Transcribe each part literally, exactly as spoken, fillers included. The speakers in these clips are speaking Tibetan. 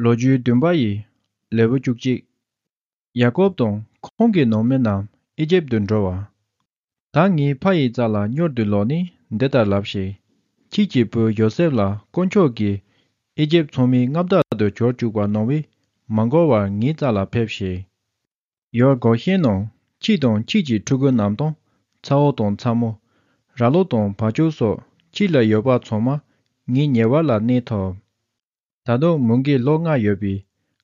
ལོ་རྒྱུས་བདུན་པ་ཡི་ལེའུ་བཅུ་གཅིག་ཡ་ཀོབ་དང་ཁོང་གི་ནང་མི་རྣམས་ཨི་ཇིབ་ཏུ་འགྲོ་བ། ད་ངའི་ཕ་ཡི་རྩ་ལ་མྱུར་དུ་ལོག་ནས་འདི་ལྟར་ལབ་ཤིག་ཁྱེད་ཀྱི་བུ་ཡོ་སེབ་ལ་དཀོན་མཆོག་གིས་ཨི་ཇིབ་ཚང་མའི་མངའ་བདག་ཏུ་གྱུར་བཅུག་པ་གནང་བས། མ་འགོར་བར་ངའི་རྩ་ལ་ཕེབས་ཤིག་ཡུལ་གོ་ཤེན་ནང་ཁྱེད་དང་ཁྱེད་ཀྱི་ཕྲུ་གུ་རྣམས་དང་། ཚ་བོ་དང་ཚ་མོ། ར་ལོ་དང་བ་ཕྱུགས་སོགས་ཁྱེད་ལ་ཡོད་པ་ཚང་མ་ངའི་ཉེ་བར་ལ་གནས་ཐུབ། ད་དུང་མུ་གེའི་ལོ་ལྔ་ཡོད་པས།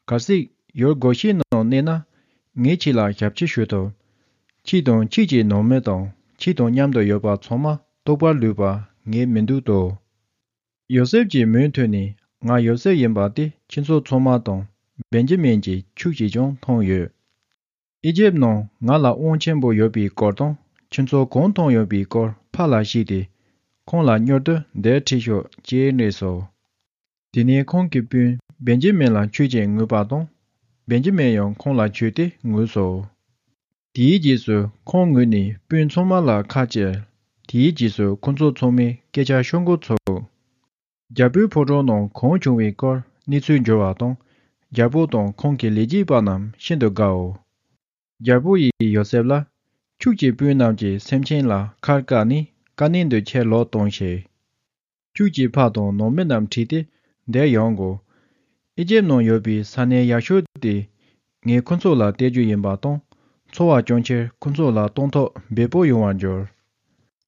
གལ་སྲིད་ཡུལ་གོ་ཤེན་ནང་གནས་ན། ངས་ཁྱེད་ལ་ཞབས་ཕྱི་ཞུ་ཐུབ། ཁྱེད་དང་ཁྱེད་ཀྱི་ནང་མི་དང་ཁྱེད་དང་མཉམ་དུ་ཡོད་པ་ཚང་མ་ལྟོགས་པར་ལུས་པ་ངས་མི་འདོད་དོ། ཡོ་སེབ་ཀྱིས་མུ་མཐུད་ནས། ང་ཡོ་སེབ་ཡིན་པ་དེ་ཁྱེད་ཚོ་ཚང་མ་དང་། བེན་ཇི་མིན་གྱི་ཕྱུགས་ཀྱིས་ཀྱང་མཐོང་ཡོད། ཨི་ཇིབ་ནང་ང་ལ་དབང་ཆེན་པོ་ཡོད་པའི་སྐོར་དང་། ཁྱེད་ཚོ་གང་མཐོང་ཡོད་པའི་སྐོར་ཕ་ལ་བཤད་དེ། ཁོང་ལ་མྱུར་དུ་འདིར་ཁྲིད་ཤོག་ཅེས་སྨྲས་སོ། དེ་ནས་ཁོང་གི་སྤུན་བེན་ཇི་མིན་ལ་ཆོས་ཅིག་ངུས་པ་དང་། བེན་ཇི་མིན་ཡང་ཁོང་ལ་ཆོས་དེ་ངུས་སོ། དེའི་རྗེས་སུ་ཁོང་ངུས་ནས་སྤུན་ཚང་མ་ལ་ཁ་བཅད། དེའི་རྗེས་སུ་ཁོ་ཚོ་ཚང་མས་སྐད་ཆ་ཤོད་འགོ་ཚུགས། རྒྱལ་པོའི་ཕོ་བྲང་ནང་གང་བྱུང་བའི་སྐོར་གནས་ཚུལ་འབྱོར་བ་དང་། རྒྱལ་པོ་དང་ཁོང་གི་ལས་བྱེད་པ་རྣམས་ཤིན་ཏུ་དགའོ། རྒྱལ་པོ་ཡིས་ཡོ་སེབ་ལ། ཁྱོད་ཀྱི་སྤུན་རྣམས་ཀྱི་སེམས་ཅན་ལ་ཁལ་བཀལ་ནས་ཀ་ནན་དུ་ཁྱེར་ལོག་གཏོང་ཞིག་ཁྱོད་ཀྱི་ཕ་དང་ནང་མི་རྣམས་ཁྲིད་དེ་འདིར་ཡོང་དགོས། ཨི་ཇིབ་ནང་ཡོད་པའི་ས་གནས་ཡག་ཤོས་དེ་ངས་ཁོ་ཚོ་ལ་སྟེར་རྒྱུ་ཡིན་པ་དང་། འཚོ་བ་སྐྱོང་ཕྱིར་ཁོ་ཚོ་ལ་སྟོན་ཐོག་འབེལ་པོ་ཡོང་བར་འགྱུར།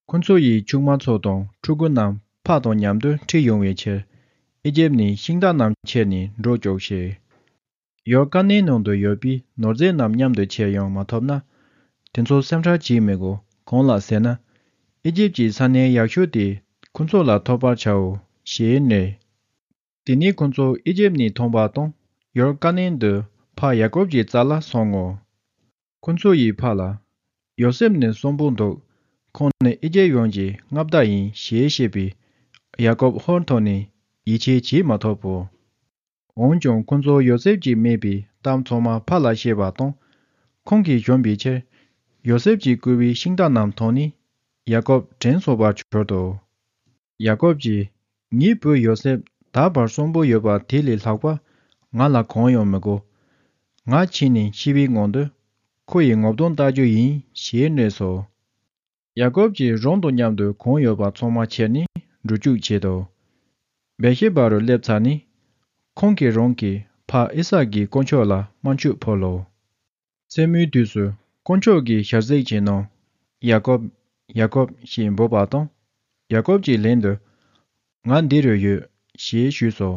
ཁོ་ཚོ་ཡི་ཕྱུགས་མ་ཚོ་དང་ཕྲུ་གུ་རྣམས་ཕ་དང་མཉམ་དུ་ཁྲིད་ཡོང་བའི་ཕྱིར། ཨི་ཇིབ་ནས་ཤིང་རྟ་རྣམས་ཁྱེར་ནས་འགྲོ་བཅུག་ཞིག་ཡུལ་ཀ་ནན་ནང་དུ་ཡོད་པའི་ནོར་རྫས་རྣམས་མཉམ་དུ་ཁྱེར་ཡོང་མ་ཐུབ་ན། དེ་ཚོ་སེམས་ཁྲལ་བྱེད་མི་དགོས། གང་ལགས་ཟེར་ན། ཨི་ཇིབ་ཀྱི་ས་གནས་ཡག་ཤོས་དེ་ཁོ་ཚོ་ལ་ཐོབ་པར་བྱའོ་ཞེས་སྨྲས། དེ་ནས་ཁོ་ཚོ་ཨི་ཇིབ་ནས་ཐོན་པ་དང་། ཡུལ་ཀ་ནན་དུ་ཕ་ཡ་ཀོབ་ཀྱི་རྩ་ལ་སོང་ངོ་། ཁོ་ཚོ་ཡིས་ཕ་ལ། ཡོ་སེབ་ནི་གསོན་པོ་འདུག་ཁོང་ནི་ཨི་ཇིབ་ཡུལ་གྱི་མངའ་བདག་ཡིན་ཞེས་བཤད་པས། ཡ་ཀོབ་ཧོར་ཐོག་ནས་ཡིད་ཆེས་བྱེད་མ་ཐུབ་བོ། འོན་ཀྱང་ཁོ་ཚོ་ཡོ་སེབ་ཀྱིས་སྨྲས་པའི་གཏམ་ཚང་མ་ཕ་ལ་བཤད་པ་དང་། ཁོང་གིས་བཞོན་པའི་ཕྱིར། ཡོ་སེབ་ཀྱིས་བསྐུལ་བའི་ཤིང་རྟ་རྣམས་ཐོན་ནས། ཡ་ཀོབ་དྲན་གསོ་བར་གྱུར་ཏོ། ཡ་ཀོབ་ཀྱིས། ངའི་བུ་ཡོ་སེབ་ད་བར་གསོན་པོ་ཡོད་པ་དེ་ལས་ལྷག་པ་ང་ལ་གང་ཡང་མི་དགོས། ང་ཕྱིན་ནས་ཤི་བའི་སྔོན་དུ་ཁོ་ཡི་ངོ་གདོང་ལྟ་རྒྱུ་ཡིན་ཞེས་སྨྲས་སོ། ཡ་ཀོབ་ཀྱིས་རང་དང་མཉམ་དུ་གང་ཡོད་པ་ཚང་མ་ཁྱེར་ནས་འགྲོ་བཅུག་བྱེད་དོ། བེར་ཤེ་བ་རུ་སླེབས་ཚར་ནས། ཁོང་གིས་རང་གི་ཕ་ཨི་སཱག་གི་དཀོན་མཆོག་ལ་དམར་མཆོད་ཕུལ་ལོ། མཚན་མོའི་དུས་སུ་དཀོན་མཆོག་གིས་ཞལ་གཟིགས་བྱས་ནས། ཡ་ཀོབ། ཡ་ཀོབ་ཞེས་འབོད་པ་དང་། ཡ་ཀོབ་ཀྱིས་ལན་དུ། ང་འདི་རུ་ཡོད་ཞེས་ཞུས་སོ།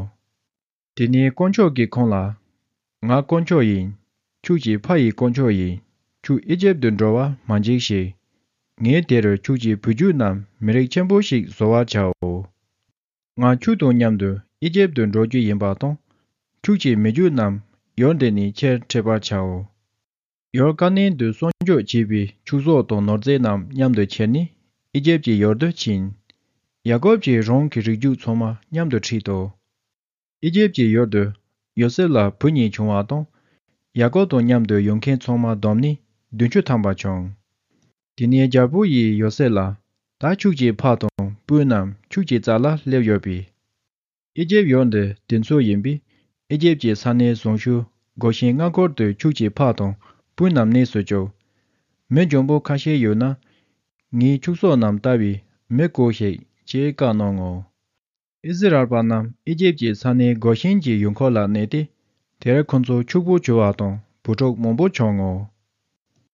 དེ་ནས་དཀོན་མཆོག་གིས་ཁོང་ལ། ང་དཀོན་མཆོག་ཡིན། ཁྱོད་ཀྱི་ཕ་ཡི་དཀོན་མཆོག་ཡིན། ཁྱོད་ཨི་ཇིབ་ཏུ་འགྲོ་བར་མ་འཇིགས་ཤིག་ངས་དེ་རུ་ཁྱོད་ཀྱི་བུ་རྒྱུད་རྣམས་མི་རིགས་ཆེན་པོ་ཞིག་བཟོ་བར་བྱའོ། ང་ཁྱོད་དང་མཉམ་དུ་ཨི་ཇིབ་ཏུ་འགྲོ་རྒྱུ་ཡིན་པ་དང་། ཁྱོད་ཀྱི་མི་རྒྱུད་རྣམས་ཡུལ་འདི་ནས་ཁྱེར་ཁྲིད་པར་བྱའོ། ཡུལ་ཀ་ནན་དུ་གསོག་འཇོག་བྱས་པའི་ཕྱུགས་ཟོག་དང་ནོར་རྫས་རྣམས་མཉམ་དུ་ཁྱེར་ནས་ཨི་ཇིབ་ཀྱི་ཡུལ་དུ་ཕྱིན། ཡ་ཀོབ་ཀྱིས་རང་གི་རིགས་རྒྱུད་ཚང་མ་མཉམ་དུ་ཁྲིད་དོ། ཨི་ཇིབ་ཀྱི་ཡུལ་དུ་ཡོ་སེབ་ལ་བུ་གཉིས་བྱུང་བ་དང་། ཡ་ཀོབ་དང་མཉམ་དུ་ཡོང་མཁན་ཚང་མ་བསྡོམས་ནས་བདུན་ཅུ་ཐམ་པ་བྱུང་། དེ་ནས་རྒྱལ་པོ་ཡིས་ཡོ་སེབ་ལ། ད་ཁྱོད་ཀྱི་ཕ་དང་སྤུན་རྣམས་ཁྱོད་ཀྱི་རྩ་ལ་སླེབས་ཡོད་པས། ཨི་ཇིབ་ཡུལ་འདི་དེ་ཚོའི་ཡིན་པས། ཨི་ཇིབ་ཀྱི་ས་གནས་བཟང་ཤོས་གོ་ཤེན་མངའ་འཁོར་དུ་ཁྱོད་ཀྱི་ཕ་དང་སྤུན་རྣམས་གནས་སུ་བཅུག་མི་འཇོན་པོ་ཁ་ཤས་ཡོད་ན། ངའི་ཕྱུགས་ཟོག་རྣམས་ལྟ་བའི་མི་བསྐོ་ཞིག་ཅེས་བཀའ་གནང་ངོ་། ཨི་སི་རལ་པ་རྣམས་ཨི་ཇིབ་ཀྱི་ས་གནས་གོ་ཤེན་གྱི་ཡུལ་འཁོར་ལ་གནས་ཏེ། དེར་ཁོ་ཚོ་ཕྱུག་པོ་བྱུང་བ་དང་བུ་ཕྲུག་མང་པོ་བྱུང་ངོ་།